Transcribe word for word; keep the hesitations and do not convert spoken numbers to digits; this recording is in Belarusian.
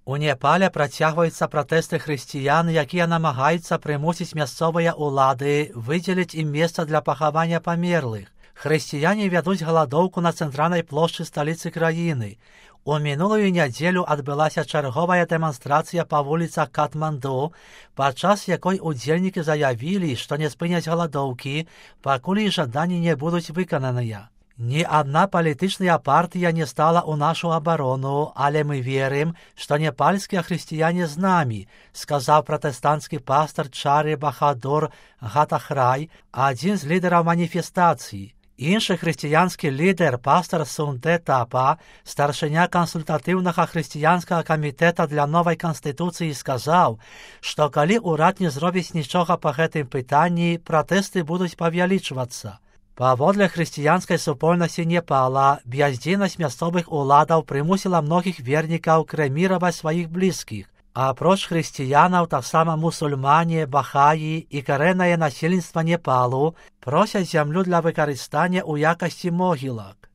У Непале працягваюцца пратэсты хрысціян, якія намагаюцца прымусіць мясцовыя ўлады выдзеліць ім месца для пахавання памерлых. Хрысціяне вядуць галадоўку на цэнтральнай плошчы сталіцы краіны. У мінулую нядзелю адбылася чарговая дэманстрацыя па вуліцах Катманду, падчас якой удзельнікі заявілі, што не спыняць галадоўкі, пакуль іх жаданні не будуць выкананыя. Ні адна палітычная партыя не стала ў нашу абарону, але мы верым, што непальскія хрысціяне з намі, сказаў пратэстанцкі пастар Чары Бахадур Гатахрай, адзін з лідараў маніфестацыі. Іншы хрысціянскі лідар, пастар Сунде Тапа, старшыня кансультатыўнага хрысціянскага камітэта для новай канстытуцыі, сказаў, што калі ўрад не зробіць нічога па гэтым пытанні, пратэсты будуць павялічвацца. Паводле хрысціянскай супольнасці Непала, бяздзейнасць мясцовых уладаў прымусіла многіх вернікаў крэміраваць сваіх блізкіх. Апроч хрысціянаў, таксама мусульмане, бахаі і карэннае насельніцтва Непалу просяць зямлю для выкарыстання ў якасці могілак.